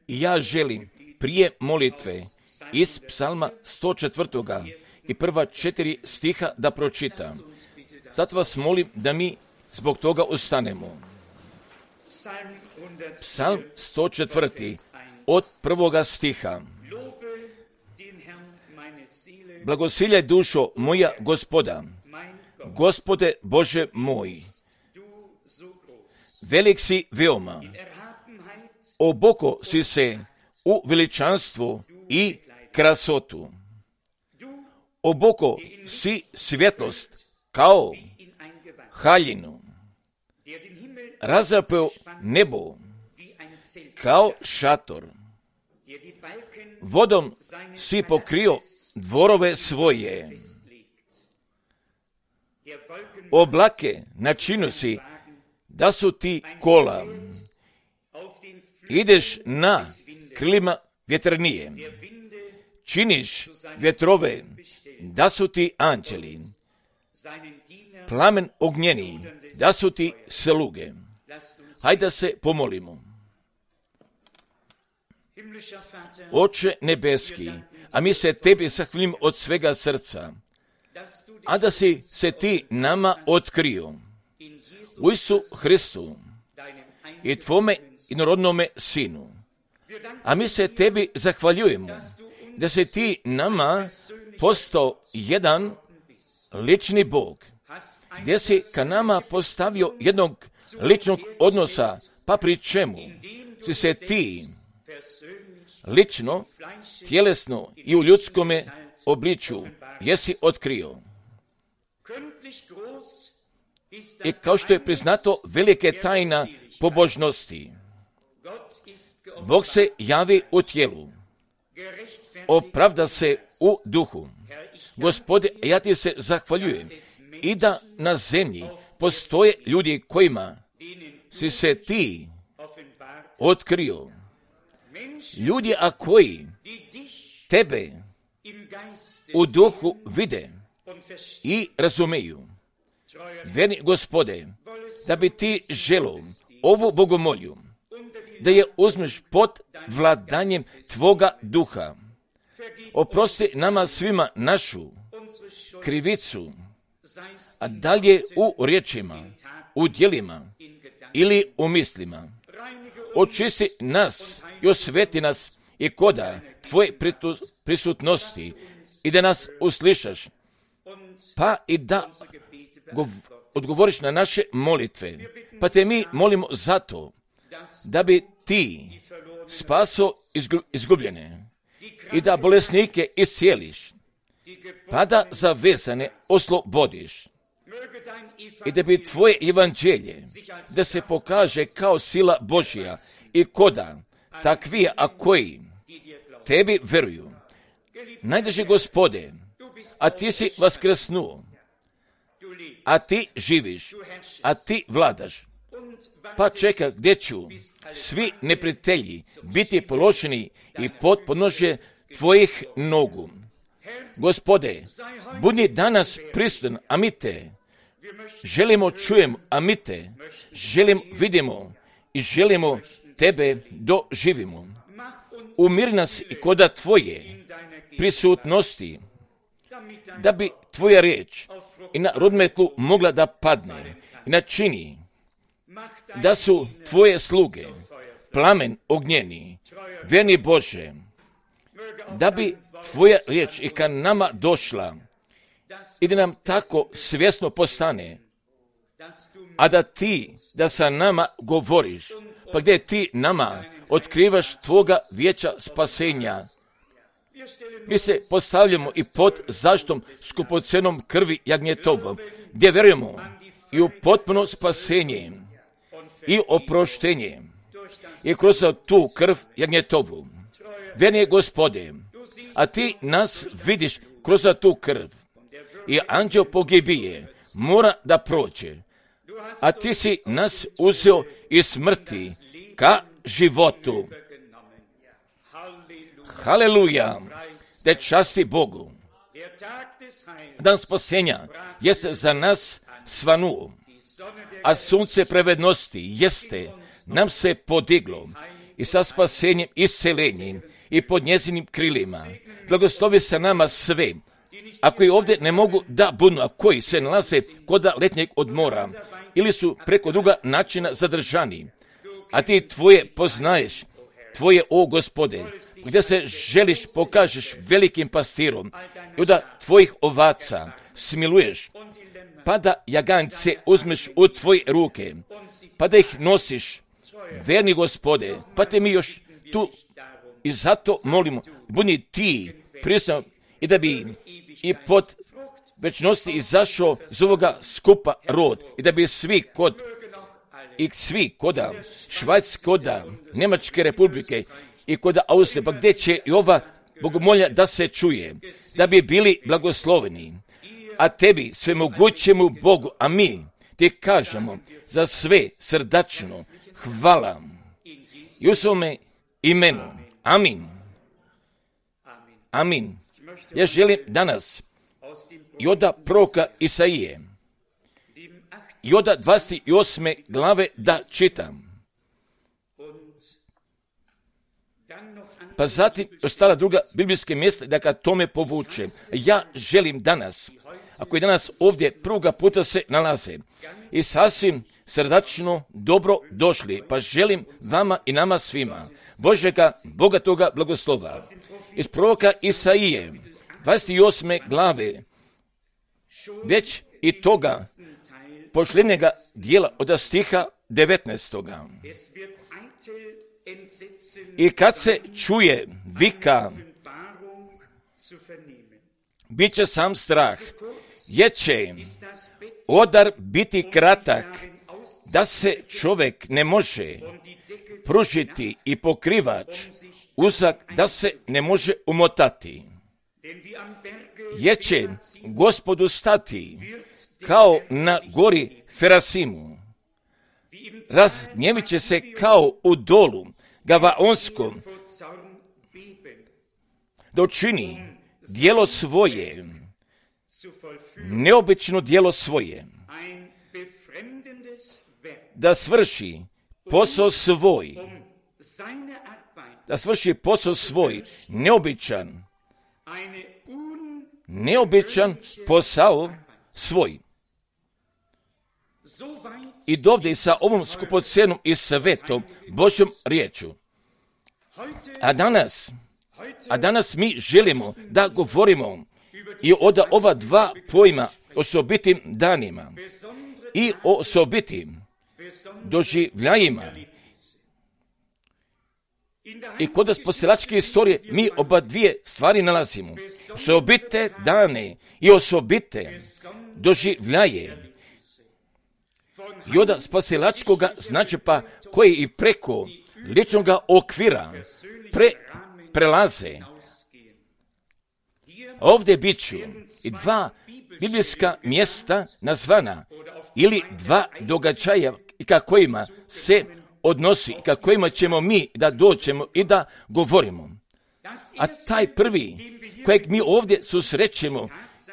I ja želim prije molitve iz psalma 104. i prva 4 stiha da pročitam. Zato vas molim da mi zbog toga ustanemo. Psalm 104. od 1. stiha. Blagosiljaj dušo moja Gospoda, Gospode Bože moj, velik si veoma, oboko si se u veličanstvu i krasotu. Oboko si svjetlost kao haljinu, razapeo nebo kao šator, vodom si pokrio dvorove svoje, oblake načinio si da su ti kola, ideš na krilima vjeternije, činiš vjetrove da su ti anđeli, plamen ognjeni da su ti sluge. Hajde da se pomolimo. Oče nebeski, a mi se tebi zahvaljujemo od svega srca, a da si se ti nama otkrio u Isu Hristu i tvome inorodnome Sinu. A mi se tebi zahvaljujemo da si ti nama postao jedan lični Bog, gdje si ka nama postavio jednog ličnog odnosa, pa pri čemu si se ti lično, tjelesno i u ljudskome obličju jesi otkrio. I kao što je priznato, velike tajna pobožnosti. Bog se javi u tijelu, opravda se u duhu. Gospode, ja ti se zahvaljujem i da na zemlji postoje ljudi kojima si se ti otkrio. Ljudi, a koji tebe u duhu vide i razumeju. Verni Gospode, da bi ti želo ovu bogomolju, da je uzmeš pod vladanjem tvoga duha. Oprosti nama svima našu krivicu, a dalje u riječima, u djelima ili u mislima. Očisti nas i osveti nas i koda tvoje prisutnosti i da nas uslišaš, pa i da odgovoriš na naše molitve. Pa te mi molimo zato da bi ti spaso izgubljene i da bolesnike iscijeliš, pa da zavezane oslobodiš i da bi tvoje evanđelje da se pokaže kao sila Božja i koda takvi, a koji tebi veruju. Najdraži Gospode, a ti si vaskrsnuo, a ti živiš, a ti vladaš. Pa čeka gdje ću svi neprijatelji biti položeni i pod podnožje tvojih nogu. Gospode, budi danas prisutan, a mi te želimo čujemo, a mi te vidimo i želimo tebe doživimo. Umiri nas i koda tvoje prisutnosti, da bi tvoja riječ i na rodmetlu mogla da padne i načini da su tvoje sluge plamen ognjeni, verni Bože, da bi tvoja riječ i ka nama došla i da nam tako svjesno postane, a da sa nama govoriš, pa gdje ti nama otkrivaš tvoga vijeća spasenja. Mi se postavljamo i pod zaštitom skupocenom krvi jagnjetovom, gdje vjerujemo i u potpuno spasenje i oproštenje i kroz tu krv jagnjetovu. Verni Gospode, a ti nas vidiš kroz tu krv i anđeo pogibije mora da prođe, a ti si nas uzeo iz smrti ka životu. Haleluja, te časti Bogu. Dan spasenja jeste za nas svanuo, a sunce pravednosti jeste nam se podiglo i sa spasenjem, iscelenjem i pod njezinim krilima. Blagoslovi sa nama sve, a koji ovdje ne mogu da budu, a koji se nalaze kod letnjeg odmora ili su preko druga načina zadržani. A ti tvoje poznaješ, tvoje, o Gospode, gdje se želiš pokažeš velikim pastirom i da tvojih ovaca smiluješ, pa da jagance uzmeš u tvoje ruke, pa da ih nosiš, verni Gospode, pa te mi još tu i zato molimo, budi ti prisutan i da bi i pod večnosti izašao iz ovoga skupa rod i da bi svi koda Švajcarske, koda Njemačke republike i koda Austrije, pa gdje će i ova bogomolja da se čuje, da bi bili blagosloveni. A tebi, svemogućemu Bogu, a mi ti kažemo za sve srdačno hvala i u svome imenu. Amin. Amin. Ja želim danas i od proroka Isaije i od 28. glave da čitam. Pa zatim ostala druga biblijske mjesta da ka tome povuče. Ja želim danas, ako je danas ovdje prvoga puta se nalaze i sasvim srdačno dobro došli, pa želim vama i nama svima Božega bogatoga blagoslova. Iz proroka Isaije 28. glave već i toga posljednjega dijela od stiha 19. I kad se čuje vika, bit će sam strah, jer će odar biti kratak, da se čovjek ne može pružiti i pokrivač uzak da se ne može umotati. Jer će Gospodu stati kao na gori Ferasimu. Razgnjevit će se kao u dolu Gavaonskom, da učini djelo svoje, neobično djelo svoje, da svrši posao svoj, neobičan posao svoj. I dovde sa ovom skupocenom i svetom Božjom riječu. A danas mi želimo da govorimo i od ova dva pojma osobitim danima i o osobitim doživljajima. I kod spasilačke istorije mi oba dvije stvari nalazimo. Osobite dane i osobite doživljaje. I od spasilačkoga znači pa koji i preko ličnog okvira prelaze. Ovdje bit ću i dva biblijska mjesta nazvana ili dva događaja i kakvima se odnosi i kakvima ćemo mi da dođemo i da govorimo. A taj prvi kojeg mi ovdje susrećemo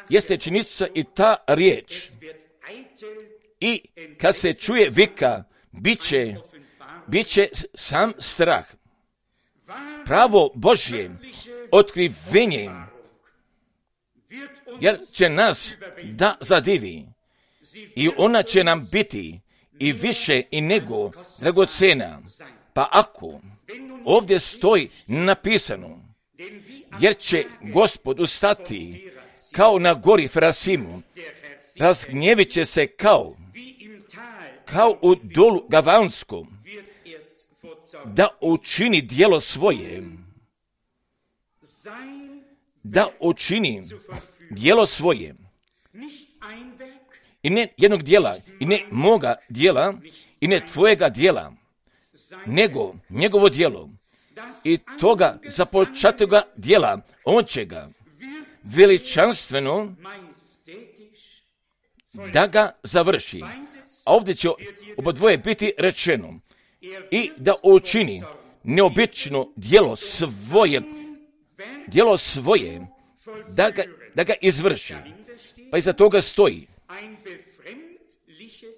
jeste činjenica i ta riječ. I kad se čuje vika, bit će sam strah. Pravo Božje otkrivenje, jer će nas da zadivi i ona će nam biti i više i nego dragocena. Pa ako ovdje stoji napisano, jer će Gospod ustati kao na gori Ferasimu, razgnjevit će se kao u dolu Gavaonskom, da učini djelo svoje, i ne jednog djela, i ne moga djela, i ne tvojega djela, nego njegovo djelo. I toga započatoga djela, on će ga veličanstveno da ga završi. A ovdje će oba dvoje biti rečeno i da učini neobično djelo svoje, da ga izvrši. Pa iza toga stoji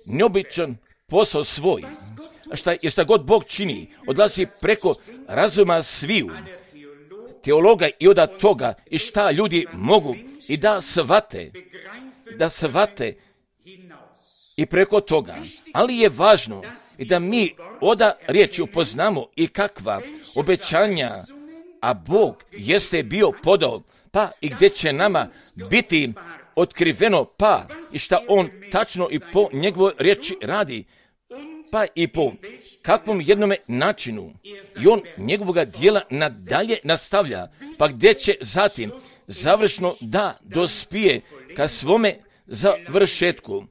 neobičan posao svoj. šta god Bog čini, odlazi preko razuma sviju teologa i od toga i šta ljudi mogu i da shvate i preko toga. Ali je važno i da mi oda riječi upoznamo i kakva obećanja, a Bog jeste bio podao, pa i gdje će nama biti otkriveno, pa i šta on tačno i po njegovoj riječi radi, pa i po kakvom jednome načinu i on njegovoga dijela nadalje nastavlja, pa gdje će zatim završno da dospije ka svome završetku.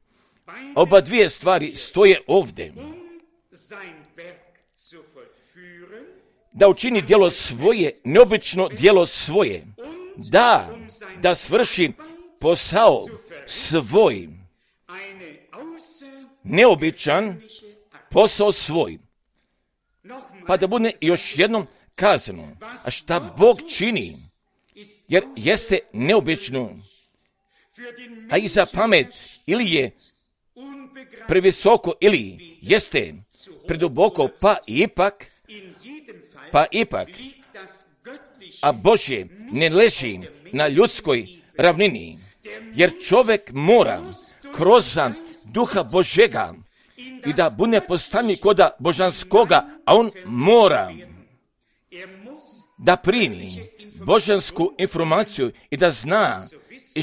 Oba dvije stvari stoje ovdje. Da učini djelo svoje, neobično djelo svoje, da svrši posao svoj, neobičan posao svoj. Pa da bude još jednom kazano, a šta Bog čini, jer jeste neobično, a i za pamet ili je previsoko ili jeste preduboko, pa ipak, a Božje ne leži na ljudskoj ravnini, jer čovjek mora kroz duha Božjega i da bude postavljen koda božanskoga, a on mora da primi božansku informaciju i da zna i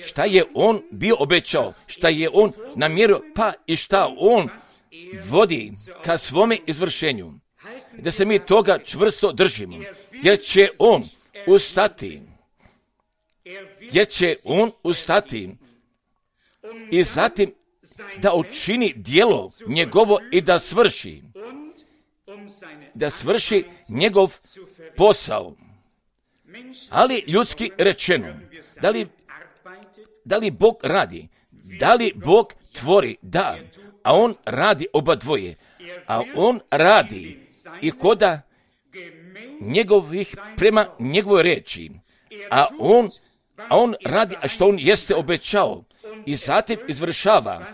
šta je on bio obećao, šta je on namjerio, pa i šta on vodi ka svome izvršenju. Da se mi toga čvrsto držimo, jer će on ustati i zatim da učini djelo njegovo i da svrši njegov posao. Ali ljudski rečeno, da li Bog radi, da li Bog tvori, da, a on radi oba dvoje, a on radi i koda njegovih prema njegovoj reči, a on radi što on jeste obećao i zatim izvršava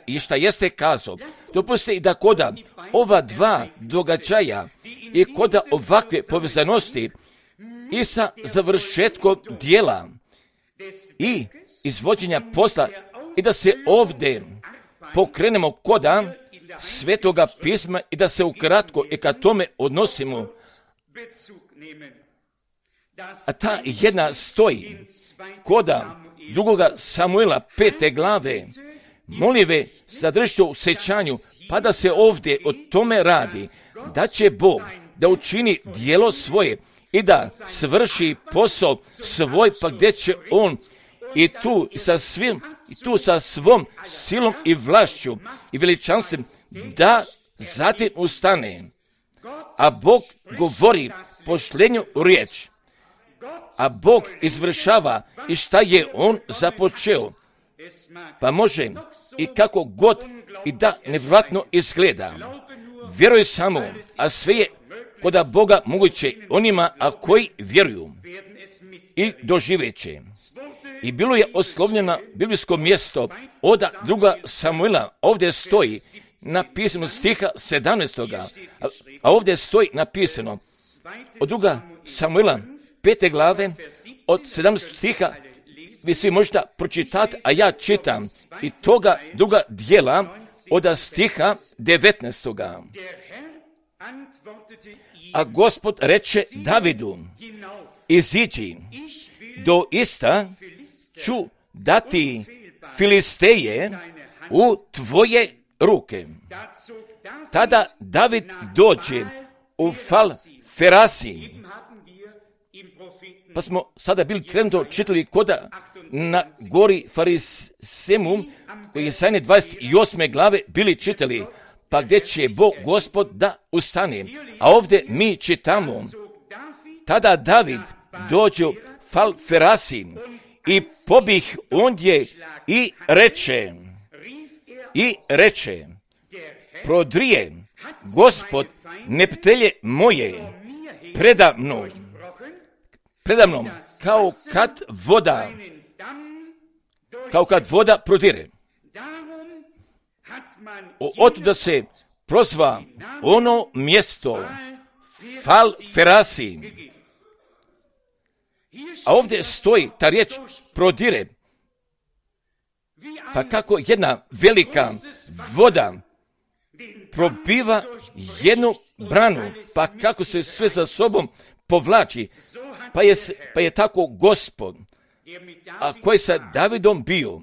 i šta jeste kazao. Dopustite i da koda ova dva događaja i koda ovakve povezanosti i sa završetkom dijela i izvođenja posla i da se ovdje pokrenemo koda Svetoga pisma i da se ukratko i ka tome odnosimo. A ta jedna stoji koda 2. Samuila 5. glave. Molive zadržite u sećanju, pa da se ovdje o tome radi, da će Bog da učini djelo svoje i da svrši posao svoj, pa gdje će on i tu sa svom silom i vlašću i veličanstvom da zatim ustane. A Bog govori posljednju riječ. A Bog izvršava i šta je on započeo. Pa može i kako god i da nevjerojatno izgleda. Vjeruj samo, a sve je koda Boga moguće onima a koji vjeruju i doživeće. I bilo je oslovljeno biblijsko mjesto od 2. Samuila, ovdje stoji napisano stiha 17. A ovdje stoji napisano od 2. Samuila 5. glave od 17. stiha, vi svi možete pročitati, a ja čitam i toga druga dijela od stiha 19. A Gospod reče Davidu, iziđi, doista ću dati Filisteje u tvoje ruke. Tada David dođe u Fal-Ferasi. Pa smo sada bili trenutno čitali koda na gori Farisemu, koji je sajne 28. glave bili čitali, pa gdje će Bog Gospod da ustane. A ovdje mi čitamo, tada David dođe u Fal-Ferasi i pobih ondje i reče, prodrije Gospod neptelje moje preda mnom, kao kad voda prodire. Otuda se prozva ono mjesto Fal Ferasi. A ovdje stoji ta riječ prodire. Pa kako jedna velika voda probiva jednu branu, pa kako se sve za sobom povlači, pa je tako Gospod, a koji sa Davidom bio,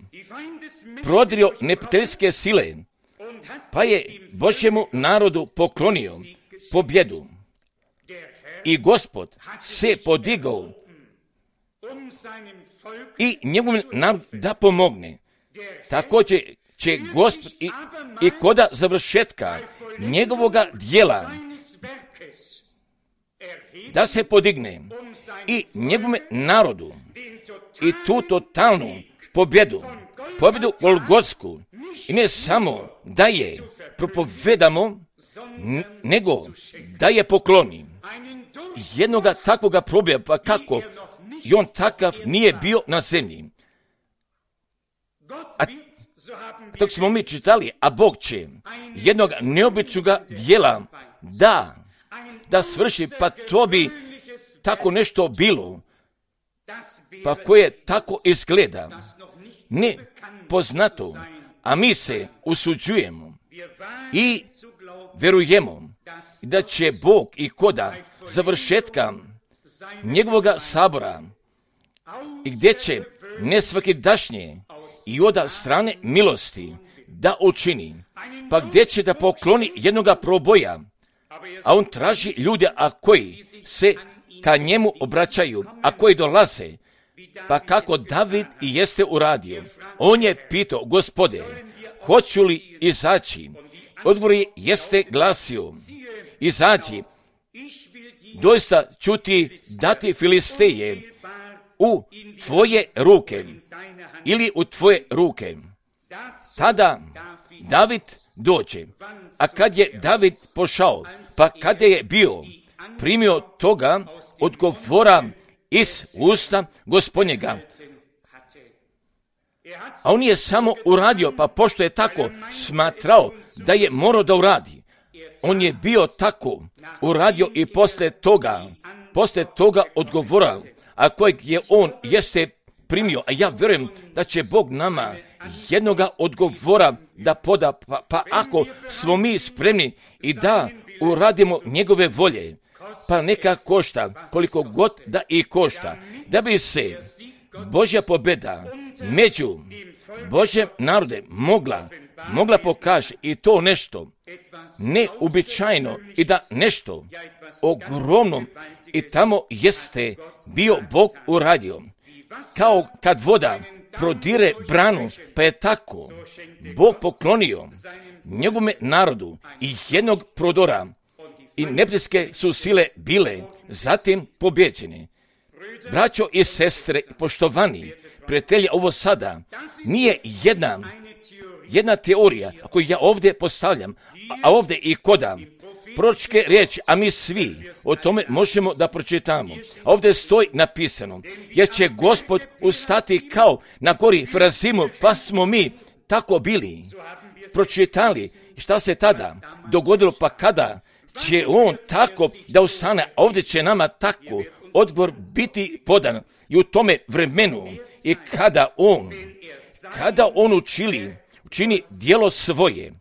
prodirio neprijateljske sile, pa je Božjemu narodu poklonio pobjedu. I Gospod se podigao i njegovom narodu da pomogne. Također će Gospod i koda završetka njegovoga djela da se podigne i njegovom narodu i tu totalnu pobjedu Golgotsku, i ne samo da je propovedamo, nego da je pokloni. Jednoga takvoga probija, pa kako i on takav nije bio na zemlji. A dok smo mi čitali, a Bog će jednog neobičnoga djela da svrši, pa to bi tako nešto bilo, pa koje tako izgleda ne poznato, a mi se usuđujemo i vjerujemo da će Bog i koda završetka njegovoga sabora i gdje će nesvakidašnje i od strane milosti da učini, pa gdje će da pokloni jednoga proboja, a on traži ljude, a koji se ka njemu obraćaju, a koji dolaze, pa kako David i jeste uradio. On je pitao, Gospode, hoću li izaći? Odgovor jeste glasio, izađi, doista ću ti dati Filisteje u tvoje ruke ili u tvoje ruke. Tada David dođe, a kad je David pošao, pa kada je bio primio toga odgovora iz usta Gospodnjega, a on je samo uradio, pa pošto je tako smatrao da je morao da uradi, on je bio tako uradio i posle toga odgovora, a kojeg je on jeste primio, a ja vjerujem da će Bog nama jednoga odgovora da poda, pa ako smo mi spremni i da uradimo njegove volje, pa neka košta, koliko god da i košta, da bi se Božja pobjeda među Božjem narode mogla pokaže i to nešto neuobičajeno i da nešto ogromno i tamo jeste bio Bog uradio. Kao kad voda prodire branu, pa je tako Bog poklonio njegovom narodu i jednog prodora i neprijateljske su sile bile zatim pobjeđene. Braćo i sestre, poštovani prijatelji, ovo sada nije jedna teorija koju ja ovdje postavljam, a ovdje i koda proročke riječi, a mi svi o tome možemo da pročitamo. A ovdje stoji napisano, jer će Gospod ustati kao na gori Ferazimu, pa smo mi tako bili pročitali šta se tada dogodilo, pa kada će on tako da ustane, a ovdje će nama tako odgovor biti podan i u tome vremenu i kada on učini djelo svoje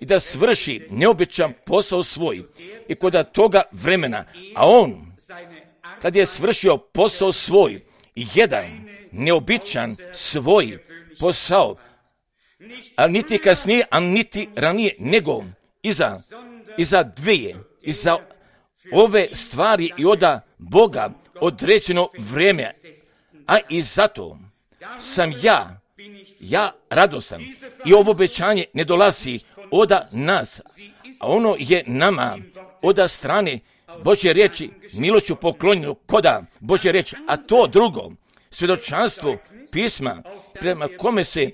i da svrši neobičan posao svoj i kod toga vremena, a on kad je svršio posao svoj, jedan neobičan svoj posao, a niti kasnije, a niti ranije, nego iza ove stvari i od Boga određeno vrijeme, a i zato sam ja radostan i ovo obećanje ne dolazi od nas, a ono je nama od strane Božje riječi milošću poklonjeno koda Božje riječi, a to drugo svjedočanstvo pisma prema kome se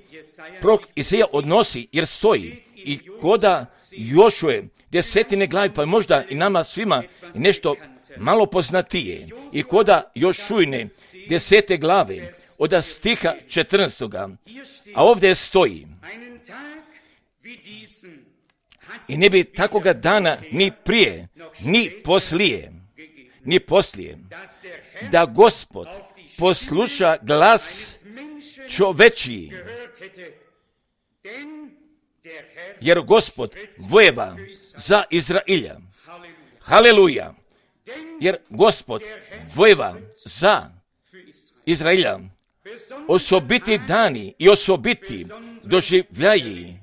prorok Izaija odnosi, jer stoji i koda Jošue 10. glavi, pa možda i nama svima nešto malo poznatije, i koda Jošujne 10. glave od stiha 14. A ovdje stoji I ne bi takoga dana ni prije, ni poslije, da Gospod posluša glas čovečiji, jer Gospod vojeva za Izrailja. Haleluja! Jer Gospod vojeva za Izrailja. Osobiti dani i osobiti doživljaji.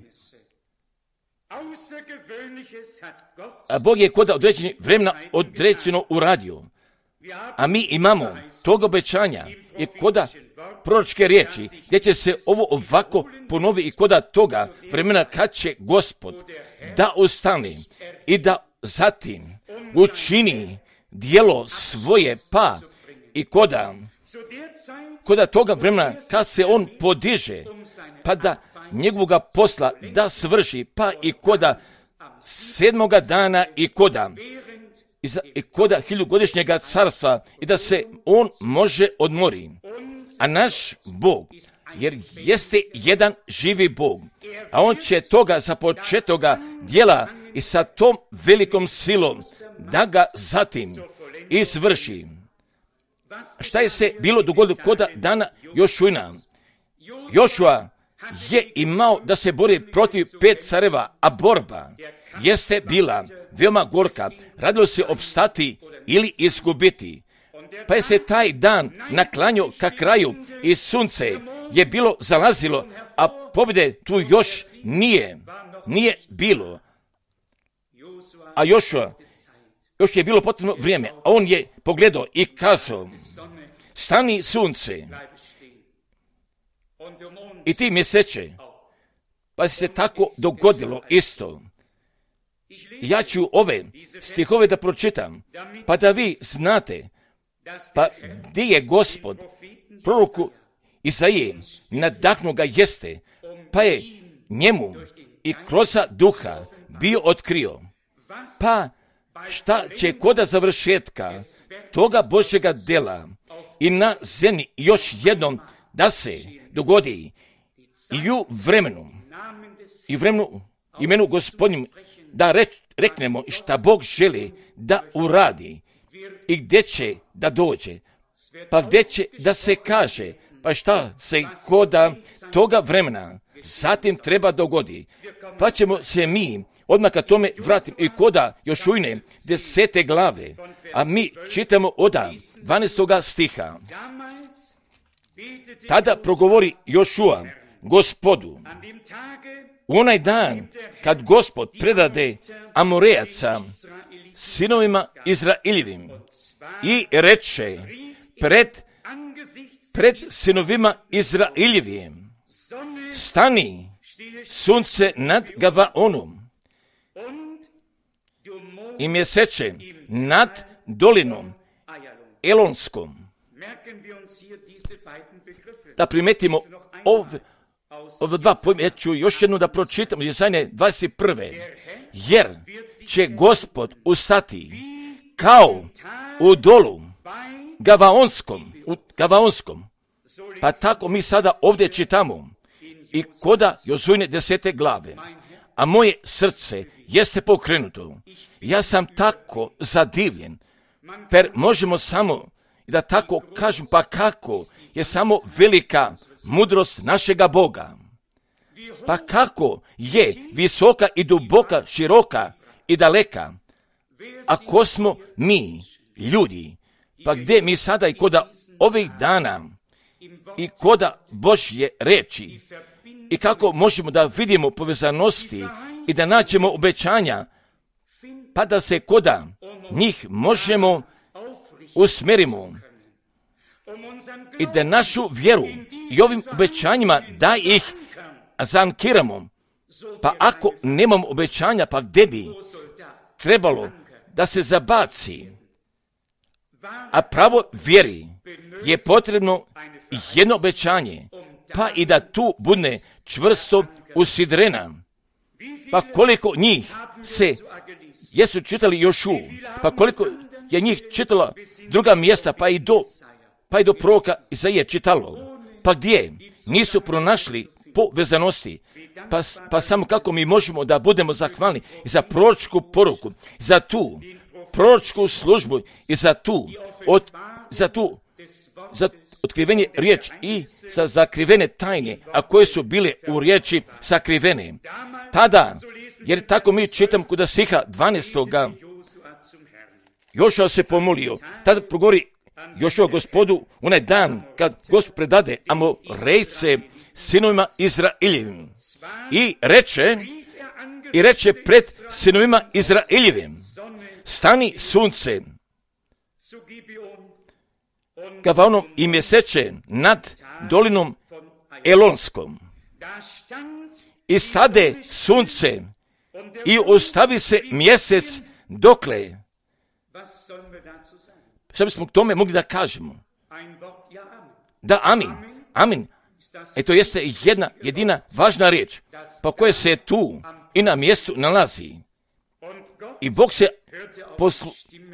A Bog je kod određenih vremena određeno uradio. A mi imamo tog obećanja i koda proročke riječi, gdje će se ovo ovako ponovi i koda toga vremena kad će Gospod da ustane i da zatim učini dijelo svoje, pa i koda toga vremena kad se on podiže, pa da njegovoga posla da svrši, pa i koda 7. dana i koda 1000-godišnjega carstva i da se on može odmori. A naš Bog, jer jeste jedan živi Bog, a on će toga započetoga djela i sa tom velikom silom da ga zatim izvrši. Šta je se bilo dogodilo koda dana Jošujna? Jošua je imao da se bori protiv 5 careva, a borba jeste bila veoma gorka. Radilo se opstati ili izgubiti. Pa je se taj dan naklanjao ka kraju i sunce je bilo zalazilo, a pobjede tu još nije bilo. A još je bilo potrebno vrijeme, a on je pogledao i kazao: stani sunce i ti mjeseče. Pa se tako dogodilo isto. Ja ću ove stihove da pročitam, pa da vi znate, pa gdje je Gospod proroku Isaije nadahnuo ga jeste, pa je njemu i kroz duha bio otkrio. Pa šta će koda završetka toga Božjega dela i na zemlji još jednom da se dogodi i u vremenu imenu Gospodnjem, da reknemo šta Bog želi da uradi i gdje će da dođe, pa gdje će da se kaže, pa šta se koda toga vremena zatim treba dogodi. Pa ćemo se mi odmah ka tome vratiti i koda Jošujne 10. glave, a mi čitamo od 12. stiha. Tada progovori Jošua Gospodu: u onaj dan kad Gospod predade Amorejaca sinovima Izraeljevim i reče pred sinovima Izraeljevim: stani sunce nad Gavaonom i mjeseče nad dolinom Elonskom. Da primetimo ove dva pojma, ja ću još jednu da pročitam, Jesaja 21. Jer će Gospod ustati kao u dolu Gavaonskom. Pa tako mi sada ovdje čitamo i koda Jošujne 10. glave. A moje srce jeste pokrenuto. Ja sam tako zadivljen. Per možemo samo da tako kažem, pa kako je samo velika mudrost našega Boga. Pa kako je visoka i duboka, široka i daleka. Ako smo mi ljudi, pa gdje mi sada i koda ovih dana i koda Božje reči i kako možemo da vidimo povezanosti i da nađemo obećanja, pa da se koda njih možemo usmerimo i da našu vjeru i ovim obećanjima da ih zankiramo. Pa ako nemamo obećanja, pa gdje bi trebalo da se zabaci? A pravo vjeri je potrebno jedno obećanje, pa i da tu bude čvrsto usidrena. Pa koliko njih jesu čitali Jošu, pa koliko je njih čitala druga mjesta, pa i do proroka Isaije čitalo. Pa gdje nisu pronašli povezanosti. Pa samo kako mi možemo da budemo zahvalni za proročku poruku, za tu proročku službu i za otkrivenje riječi i za zakrivene tajne, a koje su bile u riječi sakrivene. Tada, jer tako mi čitam kod stiha 12. Jošua se pomolio, tada progovori Jošua Gospodu onaj dan kad Gospod predade Amorejce sinovima Izraeljevim i reče pred sinovima Izraeljevim: stani sunce Gavaonom i mjeseče nad dolinom Elonskom. I stade sunce i ostavi se mjesec dokle. Što bismo k tome mogli da kažemo? Da, amin. Amin. To jeste jedna jedina važna riječ, pa koja se tu i na mjestu nalazi. I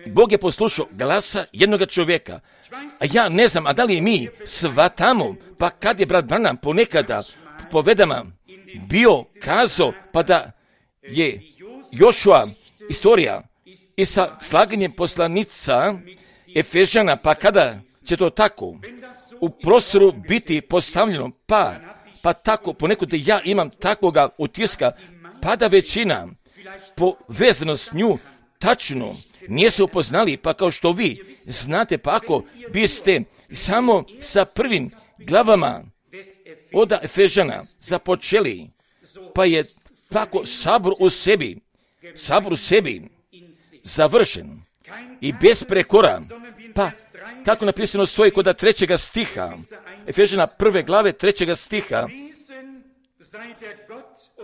Bog je poslušao glasa jednoga čovjeka. A ja ne znam, a da li mi shvatamo, pa kad je brat Branham ponekada povedama bio kazao, pa da je Jošua istorija i sa slaganjem poslanica Efežana, pa kada će to tako u prostoru biti postavljeno, pa tako ponekad ja imam takvoga utiska, pa da većina povezano s nju tačno nije se upoznali, pa kao što vi znate, pa ako biste samo sa prvim glavama od Efežana započeli, pa je tako sabor u sebi završen i bez prekora, pa tako napisano stoji kod 3. stiha, Efežana 1. glave 3. stiha,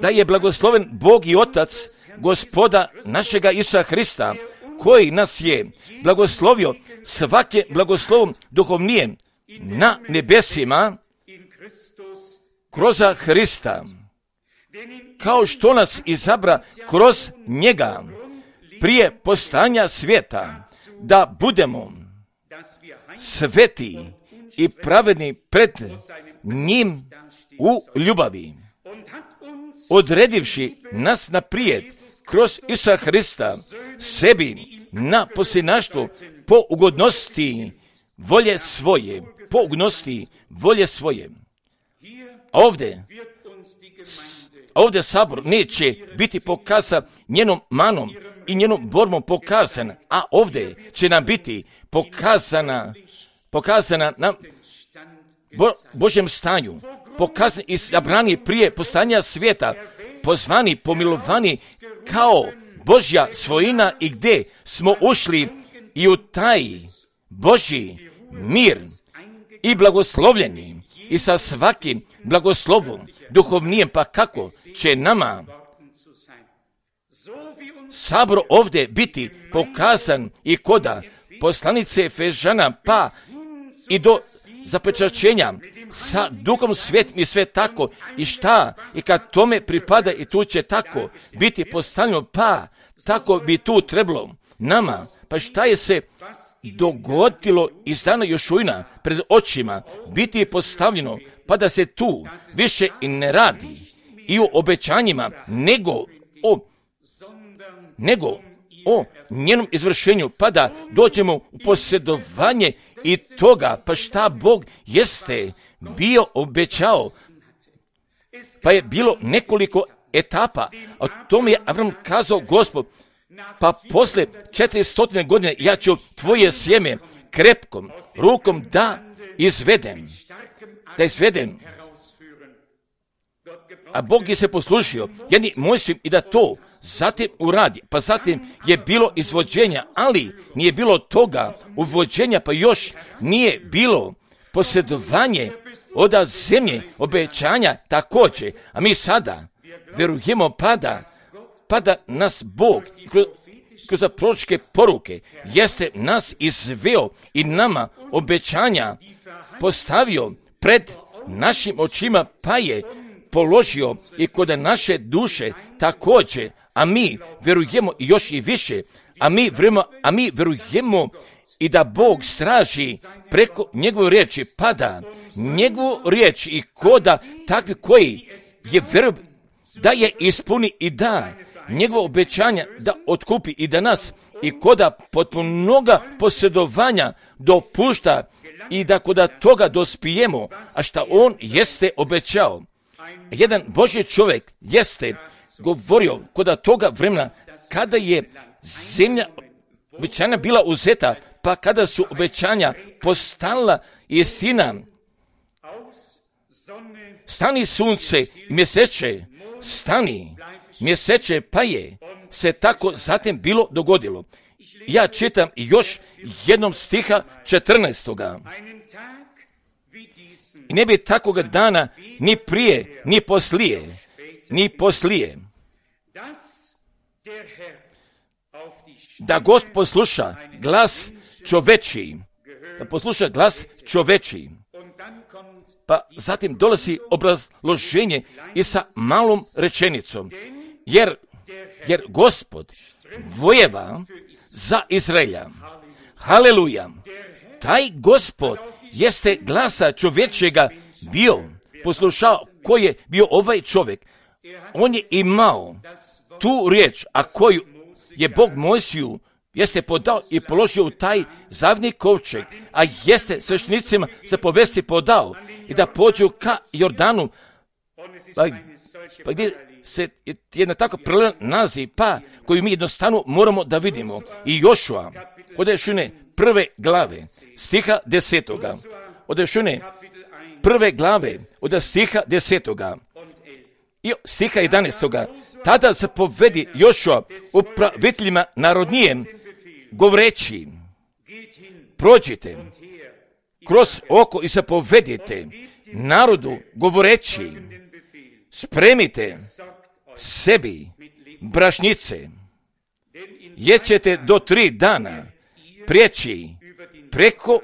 da je blagosloven Bog i Otac Gospoda našega Isusa Hrista, koji nas je blagoslovio svake blagoslovom duhovnijem na nebesima kroz Hrista, kao što nas izabra kroz njega prije postojanja svijeta, da budemo sveti i pravedni pred njim u ljubavi, odredivši nas naprijed kroz Isusa Hrista sebi na posljednaštvo po ugodnosti volje svoje. Ovdje sabor neće biti pokazan njenom manom i njenom borbom pokazan, a ovdje će nam biti pokazana na Božjem stanju, pokazan i zabrani prije postojanja svijeta, pozvani, pomilovani kao Božja svojina i gdje smo ušli i u taj Božji mir i blagoslovljeni i sa svakim blagoslovom duhovnijem, pa kako će nama sabor ovdje biti pokazan i koda poslanice Efežana, pa i do zapečaćenja sa Duhom Svetim i sve tako i šta i kad tome pripada i tu će tako biti postavljeno, pa tako bi tu trebalo nama, pa šta je se dogodilo iz dana Jošuina pred očima biti postavljeno, pa da se tu više i ne radi i o obećanjima nego o njenom izvršenju, pa da dođemo u posjedovanje i toga, pa šta Bog jeste bio obećao, pa je bilo nekoliko etapa. O tome je Avram kazao Gospod, pa posle 400 godine ja ću tvoje sjeme krepkom rukom da izvedem. A Bog je se poslušio jedni Mojsijom i da to zatim uradi. Pa zatim je bilo izvođenja, ali nije bilo toga uvođenja, pa još nije bilo posjedovanje od zemlje obećanja također. A mi sada vjerujemo pa da nas Bog kroz proročke poruke jeste nas izveo i nama obećanja postavio pred našim očima, pa je položio i kod naše duše također, a mi vjerujemo još i više, a mi vjerujemo i da Bog straži preko njegove riječi, pada njegovu riječ i koda takvi koji je vjeruju da je ispuni i da njegovo obećanja da otkupi i da nas i koda potpunoga posjedovanja dopušta i da koda toga dospijemo, a šta on jeste obećao. Jedan Božji čovjek jeste govorio koda toga vremena kada je zemlja obećanja bila uzeta, pa kada su obećanja postala istina. Stani sunce i mjeseče, stani mjeseče, pa je se tako zatim bilo dogodilo. Ja čitam još jednom stiha 14. I ne bi takoga dana ni prije, ni poslije. Da Gospod posluša glas čovečiji. Da posluša glas čovečiji. Pa zatim dolazi obrazloženje i sa malom rečenicom. Jer Gospod vojeva za Izraelja. Haleluja. Taj Gospod jeste glasa čovječega bio, poslušao koji je bio ovaj čovjek. On je imao tu riječ, a koju je Bog Mojsiju jeste podao i položio u taj zavni kovčeg, a jeste sveštenicima se povesti podao i da pođu ka Jordanu, pa gdje se jedna tako prelevan naziv, pa koju mi jednostavno moramo da vidimo. I Jošua, od Jošune prve glave, stiha 10. Od Jošune prve glave, od stiha 10. I stiha 11. Tada se povedi Jošua upraviteljima narodnijem, govoreći, prođite kroz oko i se povedite narodu, govoreći, spremite sebi brašnice, jer ćete do 3 dana prijeći preko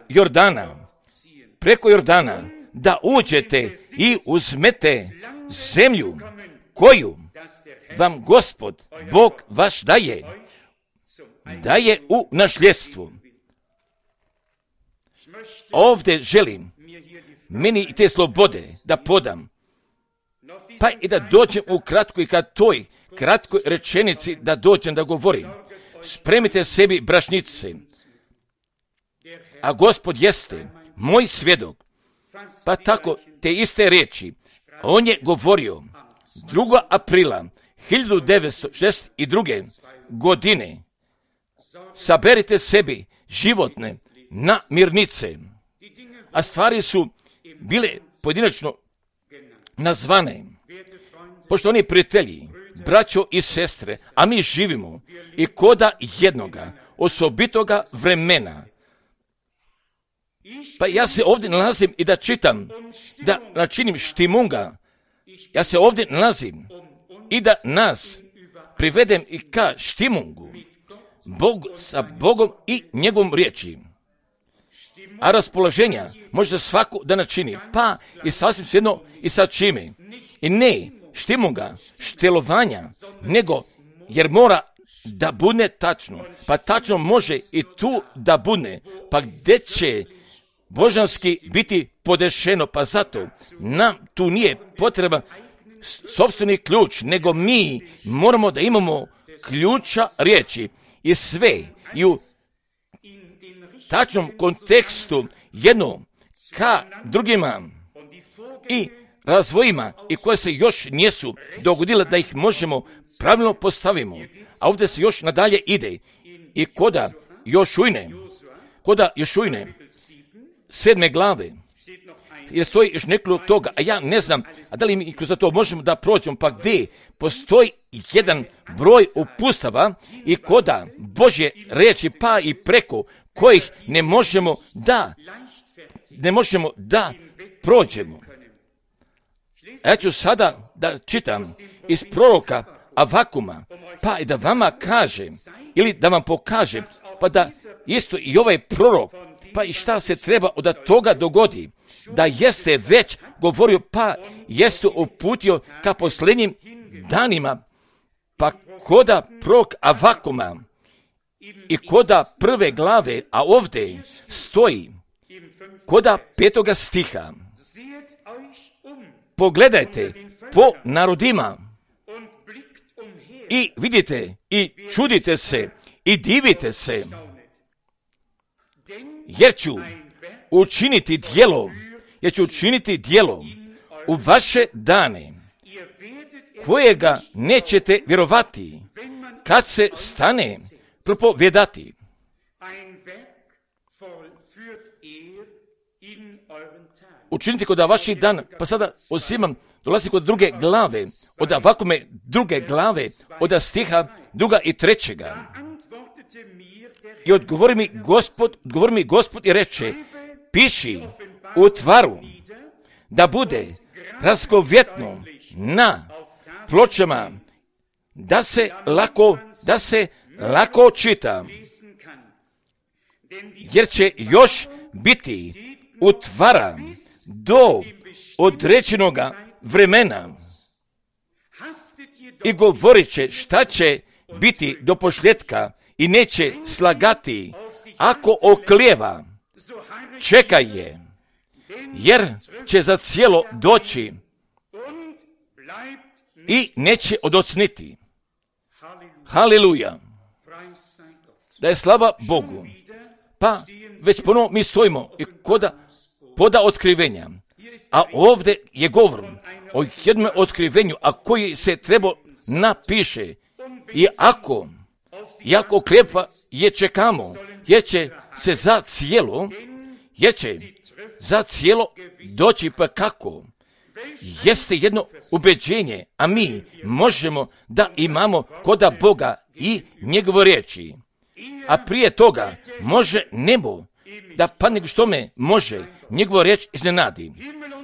Jordana, da uđete i uzmete zemlju koju vam Gospod, Bog vaš daje u nasljedstvo. Ovdje želim meni i te slobode da podam, pa i da dođem u kratko i kad toj kratkoj rečenici da dođem da govorim. Spremite sebi brašnice, a Gospod jeste moj svjedok. Pa tako te iste riječi on je govorio 2. aprila 1962. godine. Saberite sebi životne namirnice, a stvari su bile pojedinačno nazvane. Poštovani prijatelji, braćo i sestre, a mi živimo i koda jednoga osobitoga vremena. Pa ja se ovdje nalazim i da čitam, da načinim štimunga. Ja se ovdje nalazim i da nas privedem i ka štimungu. Sa Bogom i njegovom riječi. A raspoloženja može svako da načini, pa i sasvim jedno i sa čime. I ne štimunga, štelovanja, nego jer mora da bude tačno. Pa tačno može i tu da bude. Pa gdje će božanski biti podešeno, pa zato nam tu nije potreban sopstveni ključ, nego mi moramo da imamo ključa riječi i sve i u tačnom kontekstu jedno ka drugima i razvojima i koje se još nisu dogodile da ih možemo pravilno postavimo. A ovdje se još nadalje ide i koda Jošujne 7. glave, jer stoji još nekoliko toga, a ja ne znam, a da li mi kroz to možemo da prođemo, pa gdje postoji jedan broj upustava i koda Božje riječi, pa i preko kojih ne možemo da prođemo. Ja ću sada da čitam iz proroka Avakuma, pa i da vama kažem, ili da vam pokažem, pa da isto i ovaj prorok, pa i šta se treba od toga dogodi, da jeste već govorio, pa jeste uputio ka posljednjim danima, pa koda prorok Avakuma i koda 1. glave, a ovdje stoji koda 5. stiha. Pogledajte po narodima i vidite i čudite se i divite se, jer ću učiniti djelo u vaše dane, kojega nećete vjerovati, kad se stane propovijedati. Učinite kod vaših dana, pa sada uzimam, dolazi kod 2. glave, od ovakome 2. glave, od stiha 2. i 3. I odgovori mi Gospod i reče, piši u tvaru, da bude razgovjetno na pločama, da se lako čita, jer će još biti utvara do određenoga vremena i govorit će šta će biti do posljedka i neće slagati. Ako oklijeva, čekaj je, jer će za cijelo doći i neće odocniti. Haleluja! Da je slava Bogu. Pa već ponovo mi stojimo i poda otkrivenja. A ovdje je govor o jednom otkrivenju, a koji se treba napiše. I ako oklijepa je čekamo, jer će za cijelo doći. Pa kako? Jeste jedno ubeđenje, a mi možemo da imamo koda Boga i njegove riječi. A prije toga može nebo da padne što me može njegova riječ iznenadi.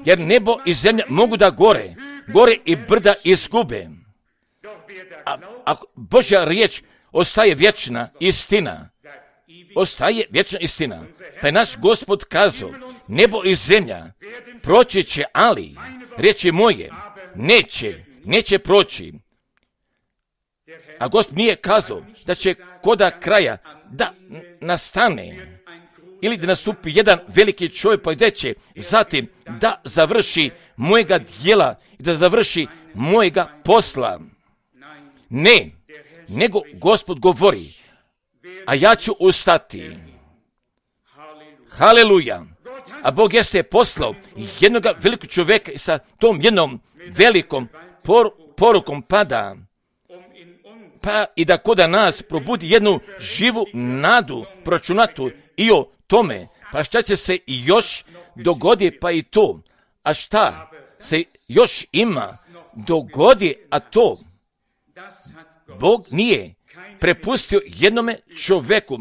Jer nebo i zemlja mogu da gore i brda izgube. A Božja riječ ostaje vječna istina. Pa je naš Gospod kazao, nebo i zemlja proći će, ali riječi moje neće proći. A Gospod nije kazao da će koda kraja da nastane ili da nastupi jedan veliki čovjek pa gdje će zatim da završi mojega djela i da završi mojega posla. Ne, nego Gospod govori, a ja ću ustati. Haleluja! A Bog jeste poslao jednog velikog čovjeka i sa tom jednom velikom porukom pada. Pa i da koda nas probudi jednu živu nadu proračunatu i o tome. Pa šta će se još dogodi, pa i to. A šta se još ima dogodi, a to Bog nije prepustio jednome čovjeku,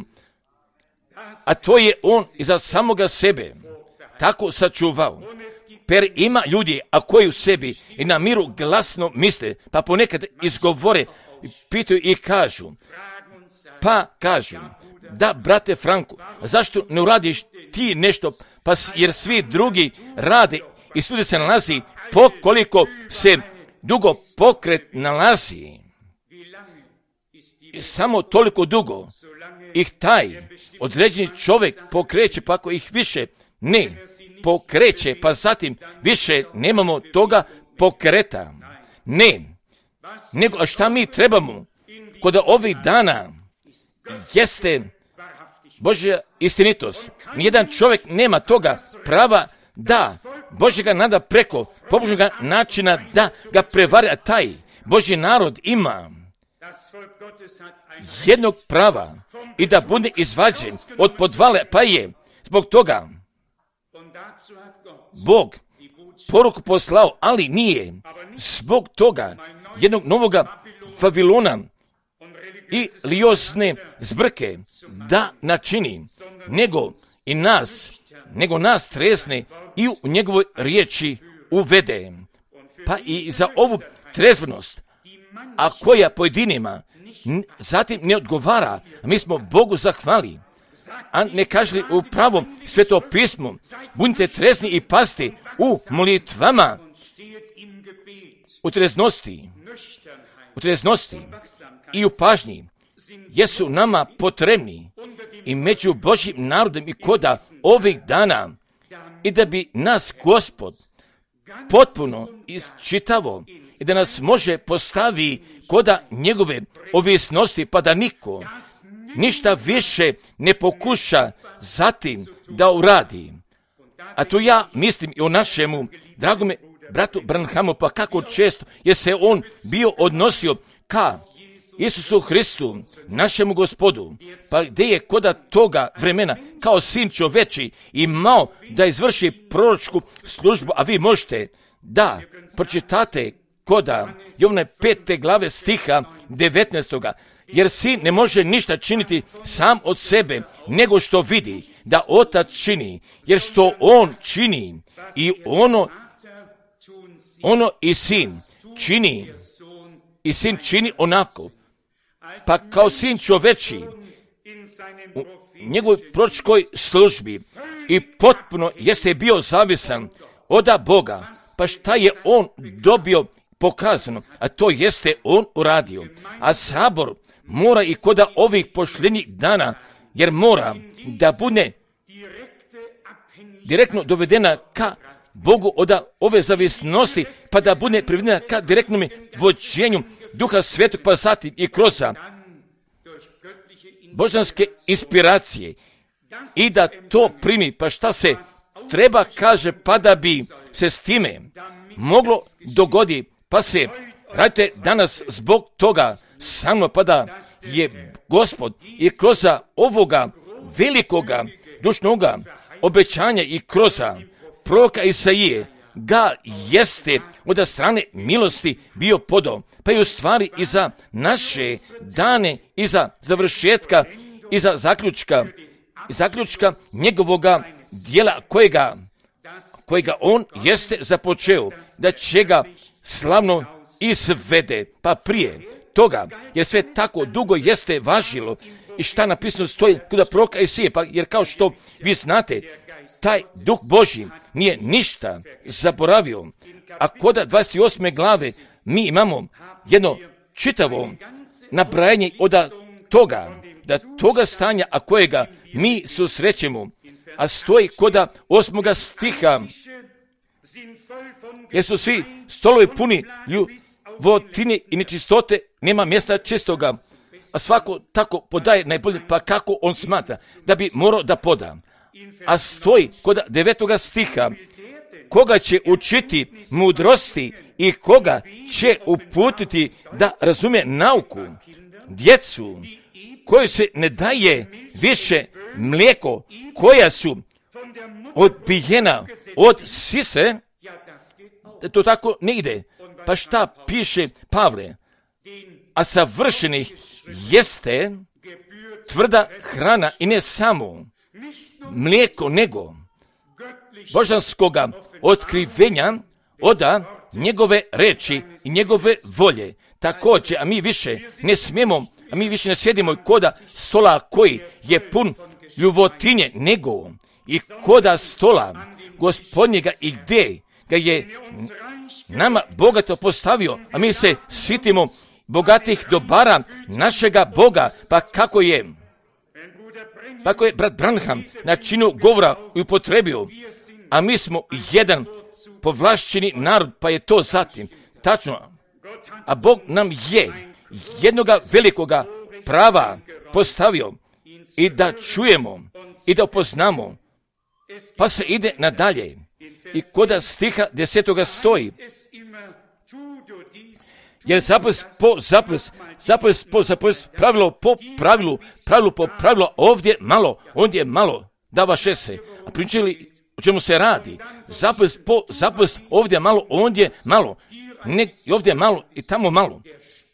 a to je on iza samoga sebe tako sačuvao. Per ima ljudi, a koji u sebi i na miru glasno misle, pa ponekad izgovore, pitaju i kažu, da brate Franku, zašto ne uradiš ti nešto, pa jer svi drugi rade i svugdje se nalazi, koliko se dugo pokret nalazi. I samo toliko dugo ih taj određeni čovjek pokreće, pa ako ih više ne pokreće, pa zatim više nemamo toga pokreta. Ne, nego a šta mi trebamo kod ovih dana jeste Božja istinitost. Nijedan čovjek nema toga prava da Božjega nada preko pobožnoga načina da ga prevari, a taj Božji narod ima jednog prava i da bude izvađen od podvale, pa je zbog toga Bog poruku poslao, ali nije zbog toga jednog novoga Vavilona i religiozne zbrke da načini, nego nas trezne i u njegovoj riječi uvede. Pa i za ovu trezvenost, a koja pojedinima zatim ne odgovara, mi smo Bogu zahvali, a ne kažli u pravom Sveto pismu, budite trezni i pasti u molitvama, u treznosti i u pažnji jesu nama potrebni i među Božjim narodom i koda ovih dana i da bi nas Gospod potpuno isčitavo i da nas može postavi koda njegove ovisnosti pa da niko ništa više ne pokuša zatim da uradi. A tu ja mislim i o našemu dragome bratu Branhamu, pa kako često je se on bio odnosio ka Isusu Hristu, našemu Gospodu, pa gdje je koda toga vremena kao sin čoveči imao da izvrši proročku službu, a vi možete da pročitate koda Jovana 5. glave stiha 19. Jer sin ne može ništa činiti sam od sebe, nego što vidi da otac čini, jer što on čini i ono i sin čini onako. Pa kao sin čoveči u njegovoj proročkoj službi i potpuno jeste bio zavisan od Boga, pa šta je on dobio pokazano, a to jeste on uradio. A sabor mora i koda ovih posljednjih dana, jer mora da bude direktno dovedena ka Bogu od ove zavisnosti, pa da bude privedena ka direktnom vođenju Duha Svetog, pa zatim i kroz božanske inspiracije i da to primi, pa šta se treba kaže, pa da bi se s time moglo dogoditi, pa se radite danas zbog toga samo, pa da je Gospod i kroz ovoga velikoga dušnoga obećanja i kroz proroka Isaije ga jeste od strane milosti bio podao, pa i u stvari i za naše dane i za završetka i za zaključka njegovoga dijela kojega on jeste započeo, da će ga slavno izvede, pa prije toga, jer sve tako dugo jeste važilo i šta napisano stoji kod proroka Isaije, pa jer kao što vi znate, taj Duh Božji nije ništa zaboravio, a kod 28. glave mi imamo jedno čitavo nabrajanje od toga stanja, a kojega mi susrećemo, a stoji kod 8. stiha, jer su svi stolovi puni ljubotine i nečistote, nema mjesta čistoga, a svako tako podaje najbolje, pa kako on smatra da bi morao da poda. A stoji kod 9. stiha, koga će učiti mudrosti i koga će uputiti da razume nauku, djecu koju se ne daje više mlijeko, koja su odbijena od sise, to tako ne ide. Pa šta piše Pavle? A savršenih jeste tvrda hrana i ne samo mlijeko, nego božanskoga otkrivenja od njegove reči i njegove volje. Također, a mi više ne sjedimo koda stola koji je pun ljubotinje, nego i koda stola Gospodnjega i gdje ga je nama bogato postavio, a mi se sitimo bogatih dobara našega Boga, pa kako je brat Branham na činu govora upotrebio, a mi smo jedan povlašćeni narod, pa je to zatim tačno, a Bog nam je jednoga velikoga prava postavio i da čujemo i da upoznamo, pa se ide nadalje i kod stiha 10. stoji, jer zapis po zapis, pravilo po pravilu, ovdje malo, ondje malo, dava šese. A pričali o čemu se radi? Zapis po zapis, ovdje malo, ondje malo, ovdje malo i tamo malo.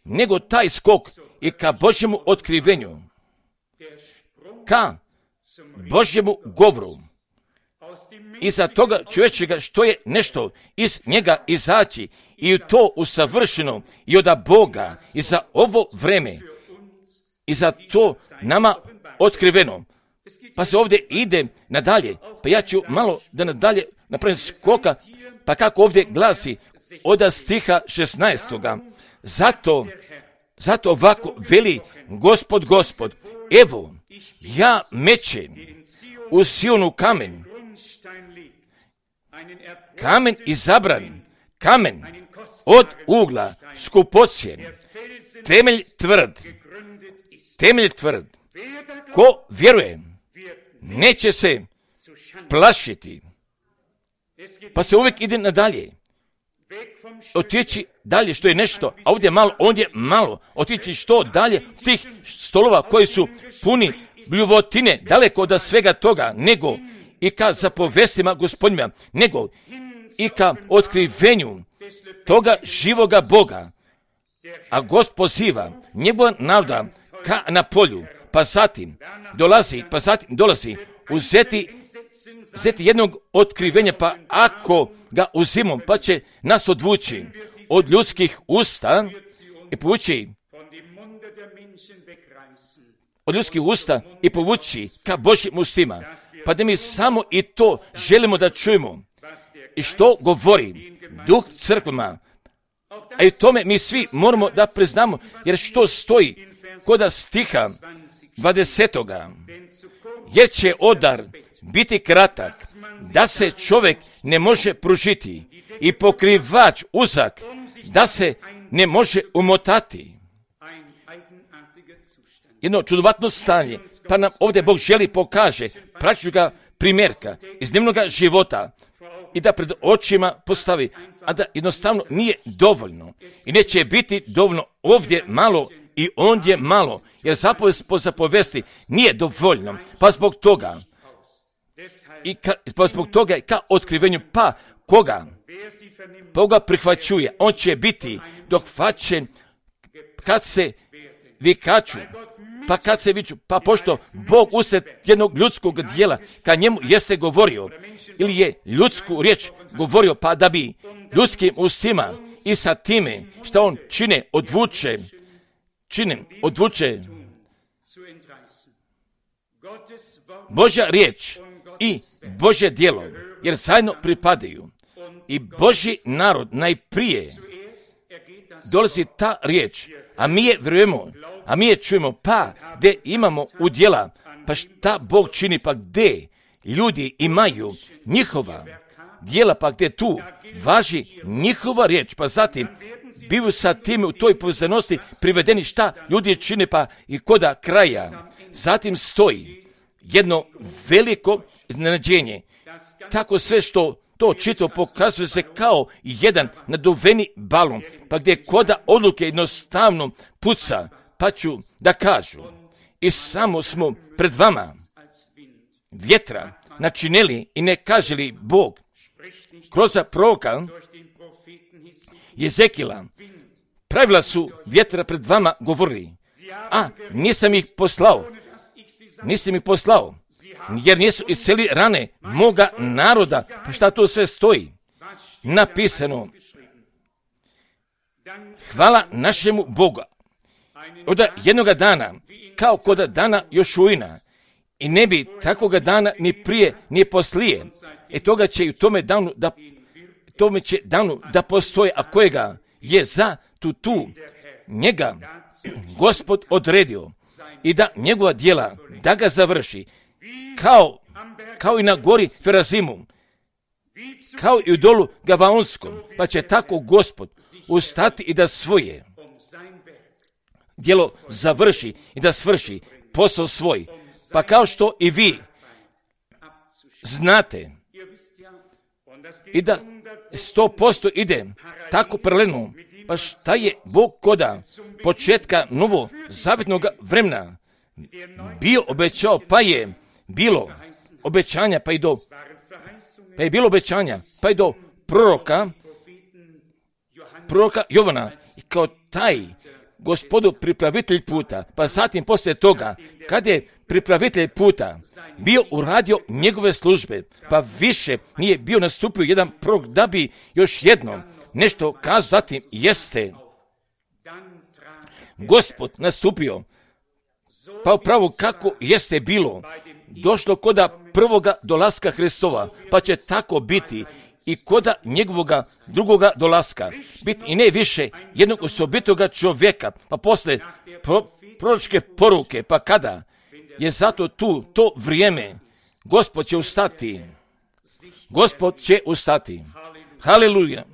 Nego taj skok i ka Božjemu otkrivenju, ka Božjemu govoru, iza toga čovječega što je nešto iz njega izaći i to usavršeno i od Boga i za ovo vreme i za to nama otkriveno. Pa se ovdje ide nadalje, pa ja ću malo da nadalje napravim skoka, pa kako ovdje glasi od stiha 16. Zato ovako veli Gospod, evo, ja mečem u Sionu kamen izabran, kamen od ugla, skupocjen, temelj tvrd, ko vjeruje, neće se plašiti. Pa se uvijek ide nadalje. Otići dalje što je nešto, a ovdje malo, ondje malo. Otići što dalje tih stolova koji su puni bljuvotine, daleko od svega toga, nego i ka zapovestima Gospodnjima, nego i ka otkrivenju toga živoga Boga. A Gospod poziva njegova naroda ka na polju, pa zatim dolazi uzeti jednog otkrivenja, pa ako ga uzimom, pa će nas odvući od ljudskih usta i povući ka Božjim ustima, pa da mi samo i to želimo da čujemo i što govori Duh crkvama, a i tome mi svi moramo da priznamo, jer što stoji kod stiha 20. jer će odar biti kratak, da se čovjek ne može pružiti i pokrivač uzak, da se ne može umotati. Jedno čudovatno stanje, pa nam ovdje Bog želi pokaže praktičnoga primjerka iz dnevnog života i da pred očima postavi, a da jednostavno nije dovoljno i neće biti dovoljno ovdje malo i ondje malo, jer zapovesti nije dovoljno, pa zbog toga i ka otkrivenju, pa koga prihvaćuje, on će biti dohvaćen kad se vikaču, pa pošto Bog usred jednog ljudskog dijela kad njemu jeste govorio ili je ljudsku riječ govorio, pa da bi ljudskim ustima i sa time što on odvuče Božja riječ i Božje djelo, jer zajedno pripadaju. I Božji narod najprije dolazi ta riječ, a mi je vjerujemo, a mi je čujemo, pa gdje imamo udjela, pa šta Bog čini, pa gdje ljudi imaju njihova djela, pa gdje tu važi njihova riječ, pa zatim bivaju sa tim u toj povezanosti privedeni šta ljudi čine, pa i koda kraja. Zatim stoji jedno veliko iznenađenje. Tako sve što to čito pokazuje se kao jedan naduveni balon, pa gdje koda odluke jednostavno puca, pa ću da kažu, i samo smo pred vama vjetra načinili i ne kaže li Bog kroz proroka Jezekila, pravila su vjetra pred vama govorili, a nisam ih poslao, jer nisu isceli rane moga naroda. Pa šta tu sve stoji? Napisano, hvala našemu Boga. Od jednoga dana, kao kod dana Jošuina, i ne bi takoga dana ni prije, ni poslije. Toga će i u tome danu da postoje, a kojega je za tu njega Gospod odredio i da njegova djela, da ga završi, kao i na gori Ferazimu, kao i u dolu Gavaonskom, pa će tako Gospod ustati i da svoje djelo završi i da svrši posao svoj. Pa kao što i vi znate i da 100% ide tako paralelno, pa šta je Bog koda početka novozavjetnog vremena bio obećao, pa je bilo obećanja, pa je do proroka Jovana, i kao taj Gospodu pripravitelj puta, pa zatim poslije toga, kad je pripravitelj puta bio uradio njegove službe, pa više nije bio nastupio jedan prorok da bi još jednom nešto kazao, zatim jeste Gospod nastupio, pa upravo kako jeste bilo, došlo koda prvoga dolaska Hristova, pa će tako biti i koda njegovoga drugoga dolaska, biti i ne više jednog osobitoga čovjeka, pa posle proročke poruke, pa kada je zato tu to vrijeme, Gospod će ustati. Gospod će ustati. Haleluja.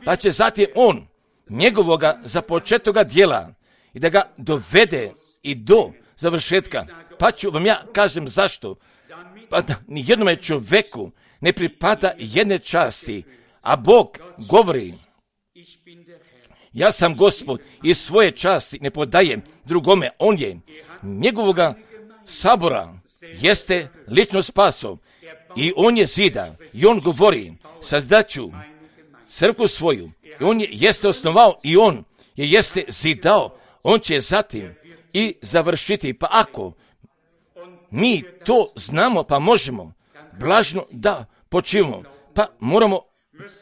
Pa će zatim on njegovoga započetoga djela i da ga dovede i do završetka. Pa ću vam ja kažem zašto. Pa da ni jednome čovjeku ne pripada jedne časti, a Bog govori, ja sam Gospod i svoje časti ne podajem drugome. On je njegovoga sabora jeste lično spaso i on je zida i on govori, sazdaću crkvu svoju i on je jeste osnovao i on je jeste zidao, on će zatim i završiti. Pa ako mi to znamo, pa možemo blažno da počivamo, pa moramo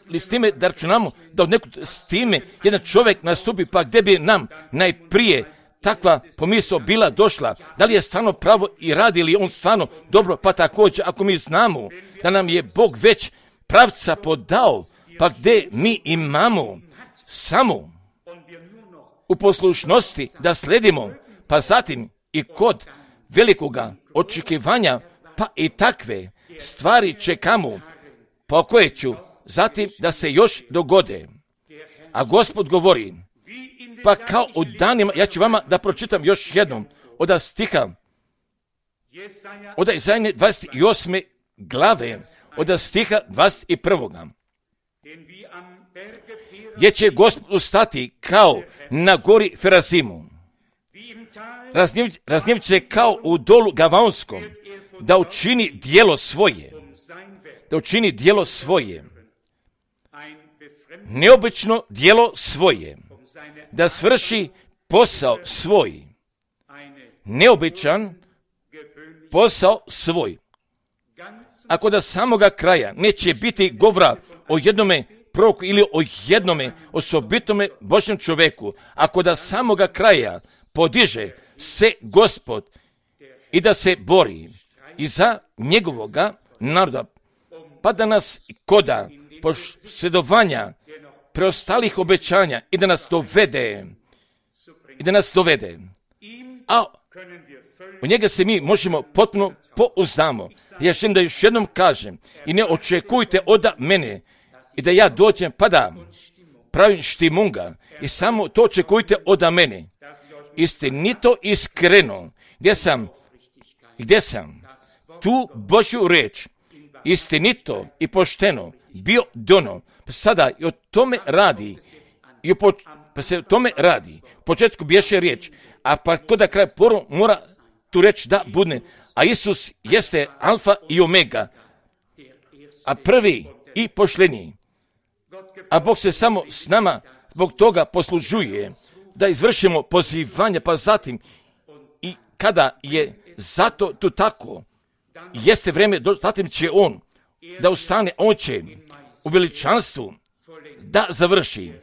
li s time da računamo da od nekog s time jedan čovjek nastupi, pa gdje bi nam najprije takva pomisao bila došla, da li je stvarno pravo i radi li on stvarno dobro, pa također ako mi znamo da nam je Bog već pravca podao, pa gdje mi imamo samo u poslušnosti da sledimo, pa zatim i kod velikoga očekivanja, pa i takve stvari čekamo, pa koje ću zatim da se još dogode. A Gospod govori, pa kao u danima, ja ću vama da pročitam još jednom od stiha, od Izaije 28. glave, od stiha 21. Gdje će Gospod ustati kao na gori Ferazimu, raznjevit se kao u dolu Gavaonskom, da učini djelo svoje, neobično djelo svoje, da svrši posao svoj, neobičan posao svoj. Ako da samoga kraja neće biti govora o jednome proroku ili o jednome osobitome Božjem čovjeku, ako da samoga kraja podiže se Gospod i da se bori i za njegovoga naroda, pa da nas koda posjedovanja preostalih obećanja i da nas dovede. A u njega se mi možemo potpuno pouzdamo. Ja želim da još jednom kažem i ne očekujte od mene i da ja dođem pa da pravim štimunga i samo to očekujte od mene. Istinito, iskreno, gdje sam tu Božju riječ istinito i pošteno bio dono. Sada i o tome radi, pa se o tome radi. U početku biješe riječ, a pa kod da kraj poru mora tu reći da budne. A Isus jeste alfa i omega, a prvi i pošljeniji. A Bog se samo s nama zbog toga poslužuje da izvršimo pozivanje, pa zatim i kada je zato tu tako, jeste vrijeme, zatim će on da ustane, on će u veličanstvu da završi.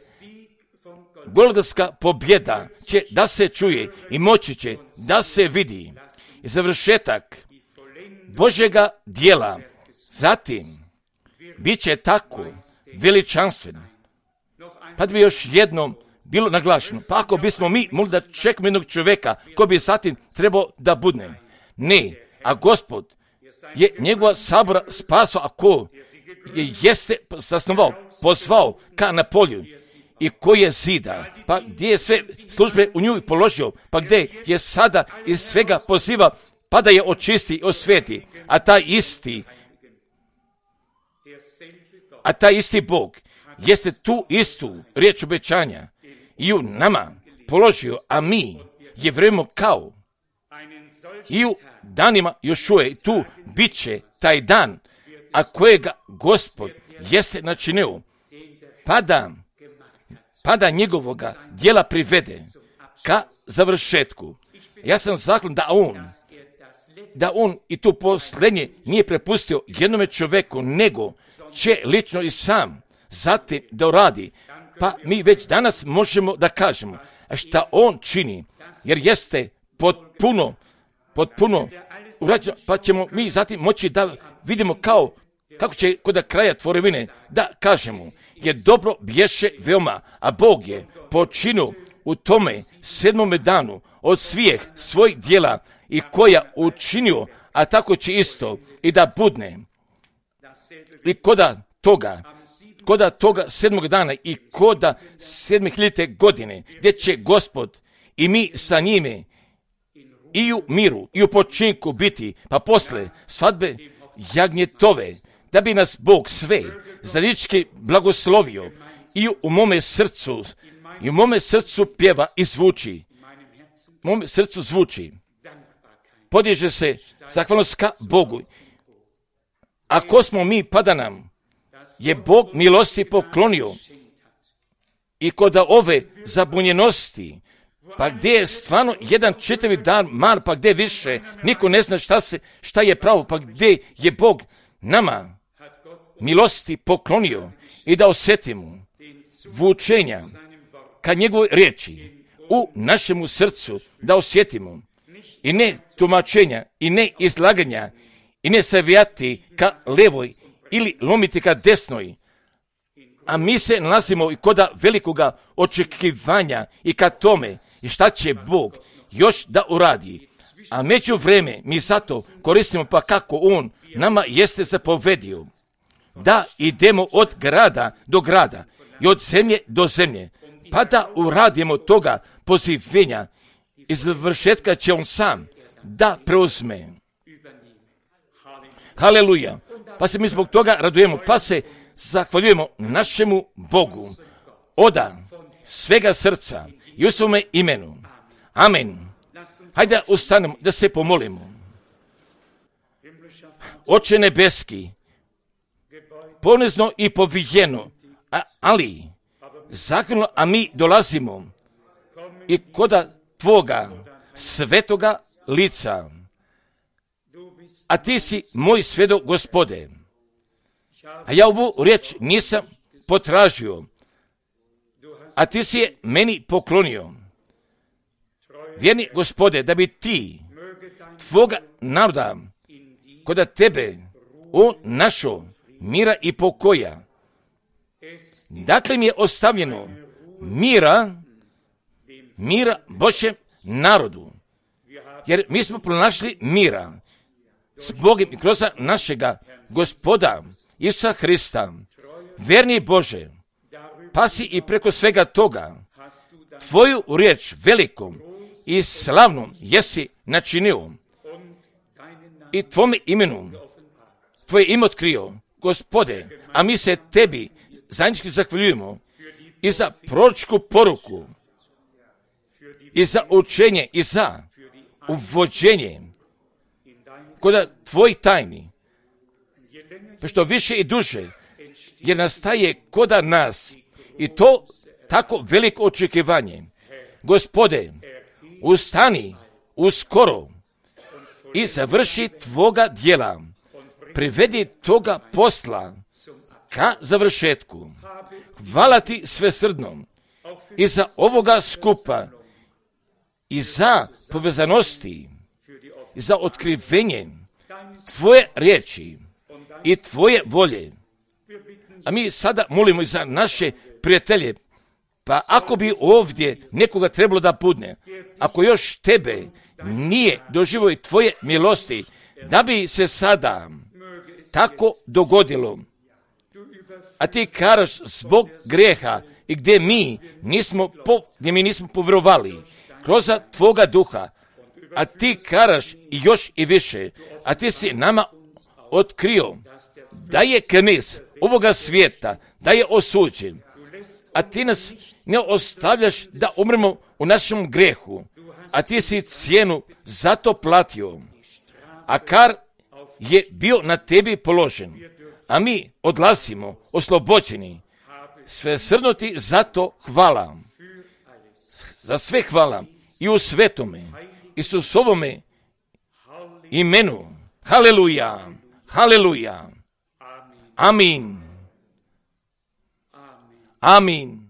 Golgotska pobjeda će da se čuje i moći će da se vidi. I završetak Božjega djela zatim bit će tako veličanstven. Pa da bi još jednom bilo naglašeno, pa ako bismo mi mogli da čekamo jednog čovjeka ko bi zatim trebao da budne. Ne, a Gospod je njegova sabora spasao, a ko je jeste zasnovao, pozvao ka na polju i koji je zida, pa gdje je sve službe u nju položio, pa gdje je sada iz svega poziva, pa da je očisti i osveti, a taj isti Bog jeste tu istu riječ obećanja i u nama položio, a mi je vrijeme kao i u danima još uvijek tu bit će taj dan, a kojega Gospod jeste načinio, pa da njegovoga djela privede ka završetku. Ja sam zaklon da on i tu posljednje nije prepustio jednome čovjeku, nego će lično i sam zatim da uradi. Pa mi već danas možemo da kažemo šta on čini, jer jeste potpuno urađeno, pa ćemo mi zatim moći da vidimo kao kako će kod kraja tvorevine da kažemo, jer dobro bješe veoma, a Bog je počinio u tome 7. danu od svih svojih djela i koja učinio, a tako će isto i da budne. I koda toga 7. dana i koda 7.000. godine, gdje će Gospod i mi sa njime i u miru i u počinku biti, pa posle svadbe jagnjetove, da bi nas Bog sve zajednički blagoslovio i u mome srcu pjeva i zvuči. U mome srcu zvuči. Podiže se zahvalnost ka Bogu. Ako smo mi, pada nam je Bog milosti poklonio i kod ove zabunjenosti, pa gdje je stvarno jedan čitavi dan mar, pa gdje više, niko ne zna šta je pravo, pa gdje je Bog nama milosti poklonio i da osjetimo vučenja ka njegovoj riječi u našemu srcu, da osjetimo i ne tumačenja i ne izlaganja i ne savijati ka levoj ili lomiti ka desnoj, a mi se nalazimo i koda velikoga očekivanja i ka tome i šta će Bog još da uradi. A među vreme mi zato koristimo pa kako On nama jeste zapovedio da idemo od grada do grada i od zemlje do zemlje, pa da uradimo toga pozivenja i završetka će On sam da preuzme. Haleluja. Pa se mi zbog toga radujemo, pa se zahvaljujemo našemu Bogu od svega srca i u svome imenu. Amen. Hajde ustanemo da se pomolimo. Oče nebeski, ponizno i povijeno, ali zahvalno, a mi dolazimo i koda Tvoga svetoga lica, a Ti si moj svjedok, Gospode. A ja ovu riječ nisam potražio, a Ti si je meni poklonio. Vjerni Gospode, da bi Ti Tvoga naroda koda Tebe on našao mira i pokoja. Dakle mi je ostavljeno mira Božjem narodu, jer mi smo pronašli mira s Bogom i kroz našega Gospoda Isusa Hrista. Vjerni Bože, pa si i preko svega toga Tvoju riječ velikom i slavnom jesi načinio i Tvome imenu Tvoje ime otkrio, Gospode, a mi se Tebi zajednički zahvaljujemo i za proročku poruku i za učenje i za uvođenje kod Tvojih tajni, pa što više i duže, jer nastaje koda nas i to tako veliko očekivanje. Gospode, ustani uskoro i završi Tvoga djela, privedi toga posla ka završetku. Hvala Ti svesrdno i za ovoga skupa i za povezanosti i za otkrivenje Tvoje riječi i Tvoje volje. A mi sada molimo i za naše prijatelje, pa ako bi ovdje nekoga trebalo da budne, ako još Tebe nije doživio i Tvoje milosti, da bi se sada tako dogodilo, a Ti kažeš zbog grijeha i gdje mi nismo povjerovali kroz Tvoga duha, a Ti kažeš i još i više, a Ti si nama otkrio da je knez ovoga svijeta, da je osuđen, a Ti nas ne ostavljaš da umremo u našem grijehu, a Ti si cijenu za to platio, a kar je bio na Tebi položen, a mi odlazimo oslobođeni. Svesrdno Ti za to hvala. Za sve hvala i u svetome Isusovome imenu. Haleluja, haleluja. Amin. Amin.